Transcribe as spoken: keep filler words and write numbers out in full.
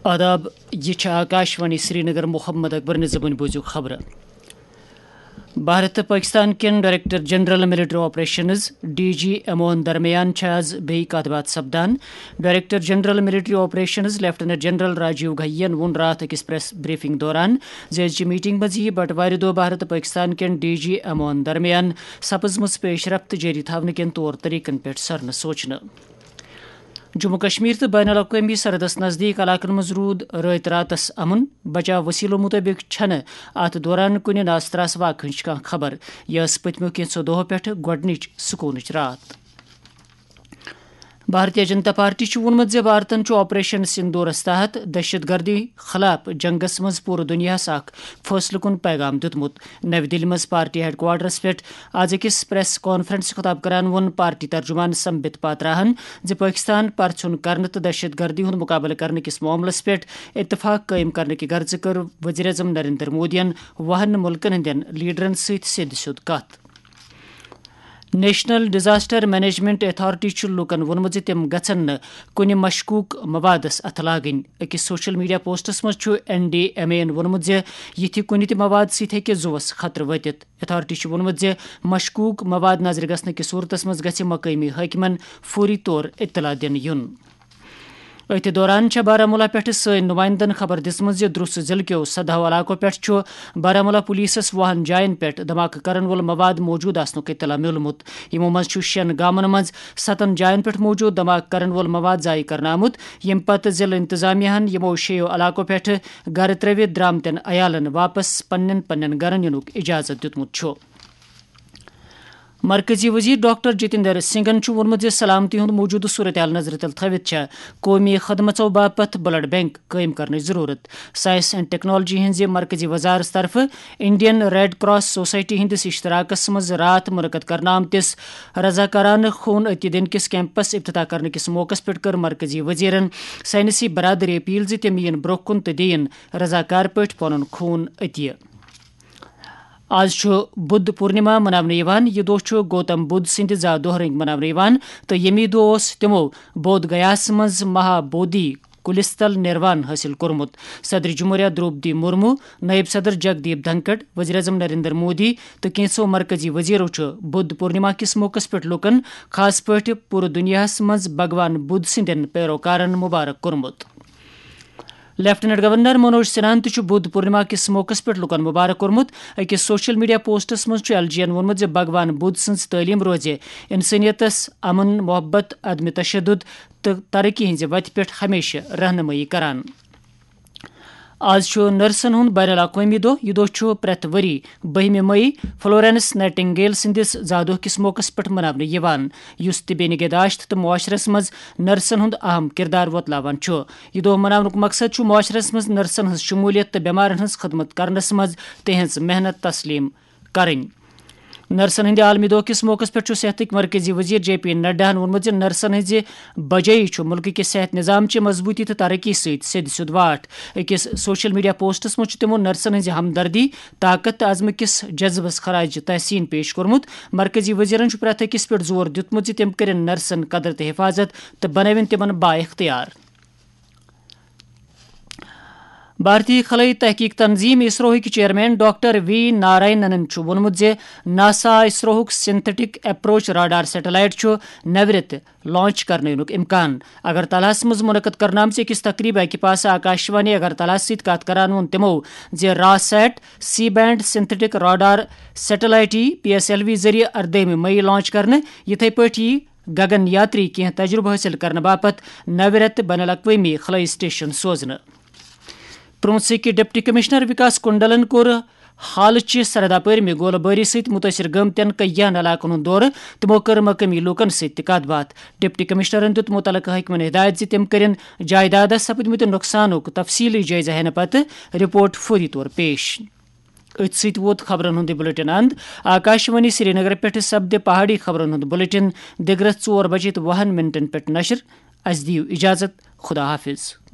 آداب، یہِ چھِ آکاشوانی سرینگر۔ محمد اکبر نظامٕنۍ بوٗزِو خبرٕ۔ بھارت تہٕ پٲکِستان کٮ۪ن director general military operations, D G ایموہن درمیان چھِ آز بیٚیہِ کتھ باتھ سپدان۔ Director general military operations lieutenant general Rajiv Ghai ین ووٚن راتھ أکِس پریس بریفنگ دوران زِ أزچہِ میٹنگ منٛز یِیہِ بٹوارِ دۄہ بھارت تہٕ پٲکِستان کٮ۪ن ڈی جی ایموہن درمیان سپٕزمٕژ پیش رفت جٲری تھاونہٕ کٮ۪ن طور طریقن پٮ۪ٹھ سرنہٕ سوچنہٕ۔ جموں کشمیر تہٕ بین الاقوٲمی سرحدس نزدیٖک علاقن منٛز روٗد رٲتۍ راتس امن۔ بچاو وسیلو مطٲبق چھنہٕ اتھ دوران کُنہِ ناستراس واقعہٕ ہٕنٛز کانٛہہ خبر۔ یہِ ٲس پٔتمیو کینٛژھو دۄہو پٮ۪ٹھٕ گۄڈٕنِچ سکوٗنٕچ راتھ۔ بھارتیہ جنتا پارٹی چھُ ووٚنمُت زِ بھارتن چھُ آپریشن سندورس تحت دہشت گردی خلاف جنگس منٛز پوٗرٕ دُنیاہس اکھ فٲصلہٕ کُن پیغام دیُتمُت۔ نَوِ دِلہِ منٛز پارٹی ہیڈ کوارٹرس پٮ۪ٹھ آز أکِس پریس کانفرنس خطاب کران ووٚن پارٹی ترجمان سمبت پاتراہن زِ پٲکِستان پرژھُن کرنہٕ تہٕ دہشت گردی ہُنٛد مُقابلہٕ کرنہٕ کِس معاملس پٮ۪ٹھ اتفاق قٲیِم کرنہٕ کہِ غرضہٕ کٔر وزیر اعظم نریندر مودیَن وُہَن مُلکَن ہٕنٛدٮ۪ن لیڈرَن سۭتۍ سیوٚد سیوٚد کتھ۔ نیشنل ڈیزاسٹر مینجمنٹ اتھارٹی چھُ لوٗکَن ووٚنمُت زِ تِم گژھن نہٕ کُنہِ مشکوک موادس اتھٕ لاگٕنۍ۔ أکِس سوشل میڈیا پوسٹس منٛز چھُ این ڈی ایم اے یَن ووٚنمُت زِ یِتھِ کُنہِ تہِ مواد سۭتۍ ہیٚکہِ زُوَس خطرٕ وٲتِتھ۔ اتھارٹی چھُ ووٚنمُت زِ مشکوک مواد نظرِ گژھنہٕ کِس صورتس منٛز گژھِ مقٲمی حٲکمن فوری طور اطلاع دِنہٕ یُن۔ أتھۍ دوران چھےٚ بارہمولہ پٮ۪ٹھٕ سٲنۍ نُمایندن خبر دِژمٕژ زِ درُس ضلعہٕ کیو سدہو علاقو پٮ۪ٹھ چھُ بارہمولہ پولیسس وُہن جاین پٮ۪ٹھ دھماکہٕ کرن وول مواد موجود آسنُک اطلاع میوٗلمُت۔ یِمو منٛز چھُ شٮ۪ن گامن منٛز ستن جاین پٮ۪ٹھ موجود دھماکہٕ کرن وول مواد ضایع کرنہٕ آمُت، ییٚمہِ پتہٕ ضلعہٕ انتظامیہ ہن یِمو شیٚیو علاقو پٮ۪ٹھٕ گرٕ ترٲوِتھ درامتٮ۪ن عیالن واپس پننٮ۪ن پننٮ۪ن گرن یِنُک اجازت دیُتمُت چھُ۔ مرکزی وزیر ڈاکٹر جتیندر سنگھن چھُ ووٚنمُت زِ سلامتی ہُنٛد موجودٕ صورتحال نظرِ تل تھٲوِتھ چھےٚ قومی خدمژو باپتھ بلڈ بینک قٲیِم کرنٕچ ضروٗرت۔ ساینس اینڈ ٹیکنالوجی ہٕنٛزِ مرکزی وزارت طرفہٕ انڈین ریڈ کراس سوسائٹی ہٕنٛدِس اشتراکس منٛز راتھ منعقد کرنہٕ آمتِس رضاکارانہٕ خوٗن عطیہ دِنہٕ کِس کیمپس افتتاح کرنہٕ کِس موقعس پٮ۪ٹھ کٔر مرکزی وزیرن ساینسی برادری اپیل زِ تِم یِن برٛونٛہہ کُن تہٕ دِیِن رضاکار پٲٹھۍ پنُن خوٗن عطیہ۔ آز چھُ بدھ پورنما مناونہٕ یِوان۔ یہِ دۄہ چھُ گوتم بدھ سٕنٛدِ زا دۄہ رٔنٛگۍ مناونہٕ یِوان تہٕ ییٚمی دۄہ اوس تِمو بودھ گیاہَس منٛز مہا بودھی کُلِس تل نِروان حٲصِل کوٚرمُت۔ صدر جمہوریہ درٛوپدی مرمو، نٲیِب صدر جگدیپ دھنکڑ، وزیر اعظم نریندر مودی تہٕ کینٛژھو مرکزی وزیرو چھُ بدھ پورنما کِس موقعس پٮ۪ٹھ لوٗکَن، خاص پٲٹھۍ پوٗرٕ دُنیاہَس منٛز بھگوان بدھ سٕنٛدٮ۪ن پیروکارَن مبارک کوٚرمُت۔ لیفٹیننٹ گورنر منوج سنہاہن تہِ چھُ بدھ پورنما کِس موقعس پٮ۪ٹھ لوٗکَن مبارک کوٚرمُت۔ أکِس سوشل میڈیا پوسٹس منٛز چھُ ایل جی یَن ووٚنمُت زِ بھگوان بدھ سٕنٛز تعلیٖم روزِ انسٲنیتس امن، محبت، عدم تشدد تہٕ ترقی ہٕنٛزِ وتہِ پٮ۪ٹھ ہمیشہٕ رہنمٲیی کران۔ آز چھُ نرسن ہُنٛد بین الاقوٲمی دۄہ۔ یہِ دۄہ چھُ پرٛٮ۪تھ ؤری بٔہمہِ مئی فلورینس نائٹنگیل سٕنٛدِس زا دۄہ کِس موقعس پٮ۪ٹھ مناونہٕ یِوان، یُس طبی نگہداشت تہٕ معاشرس منٛز نرسن ہُنٛد اہم کردار وۄتلاوان چھُ۔ یہِ دۄہ مناونُک مقصد چھُ معاشرس منٛز نرسن ہٕنٛز شمولیت تہٕ بٮ۪مارن ہٕنٛز خدمت کرنس منٛز تِہنٛز محنت تسلیم کرٕنۍ۔ نرسن ہٕنٛدِ عالمی دۄہ کِس موقعس پٮ۪ٹھ چھُ صحتٕکۍ مرکزی وزیر جے پی نڈاہن ووٚنمُت زِ نرسن ہٕنٛزِ بجٲیی چھُ مُلکہٕ کِس صحت نظام چہِ مضبوٗطی تہٕ ترقی سۭتۍ سیٚدِ سیوٚد واٹھ۔ أکِس سوشل میڈیا پوسٹس منٛز چھُ تِمو نرسن ہٕنٛزِ ہمدردی، طاقت تہٕ عزمہٕ کِس جذبس خراج تحسین پیش کوٚرمُت۔ مرکزی وزیرن چھُ پرٛٮ۪تھ أکِس پٮ۪ٹھ زور دیُتمُت زِ تِم کٔرِن نرسن قدر تہٕ حفاظت تہٕ بنٲوِن تِمن با اختیار۔ بھارتی خلائی تحقیق تنظیم اسروہٕکۍ چیئرمین ڈاکٹر وی نارائننن چھُ ووٚنمُت زِ ناسا اسروہُک سنتھیٹک اپروچ راڈار سیٹلائٹ چھُ نوِ رٮ۪تہٕ لانچ کرنہٕ یِنُک امکان۔ اگرتلاہَس منٛز منعقد کرنہٕ آمژِ أکِس تقریبہِ اکہِ پاسہٕ آکاشوانی اگرتلاہَس سۭتۍ کتھ کران ووٚن تِمو زِ RISAT C band synthetic radar satellite یی پی ایس ایل وی ذٔریعہٕ اردٲہمہِ مئی لانچ کرنہٕ۔ یِتھے پٲٹھۍ یی گگن یاتری کینٛہہ تجربہٕ حٲصِل کرنہٕ باپتھ نوِ رٮ۪تہٕ بین الاقوٲمی خلٲیی سٹیشن سوزنہٕ۔ پرونسٕکۍ ڈپٹی کمشنر وکاس کنڈلن کوٚر حالٕچہِ سرحد اپٲرۍ مےٚ گولہٕ بٲری سۭتۍ مُتٲثر گٔمتٮ۪ن کینٛہَن علاقن ہُنٛد دورٕ۔ تِمو کٔر مقٲمی لوٗکن سۭتۍ تہِ کتھ باتھ۔ ڈپٹی کمشنرن دیُت مُتعلقہٕ حٲکمن ہدایت زِ تِم کٔرِن جائیدادس سپدمٕتہِ نۄقصانُک تفصیٖلی جٲیزٕ ہینہٕ پتہٕ رپورٹ فوری طور پیش۔ أتھۍ سۭتۍ ووت خبرن ہُنٛد یہِ بلیٹن اند۔ آکاشوانی سرینگر پٮ۪ٹھ سپدِ پہاڑی خبرن ہُنٛد بلیٹن دِگرس ژور بجے تہٕ وُہن منٹن پٮ۪ٹھ نشر۔ اسہِ دِیِو اجازت۔ خدا حافظ۔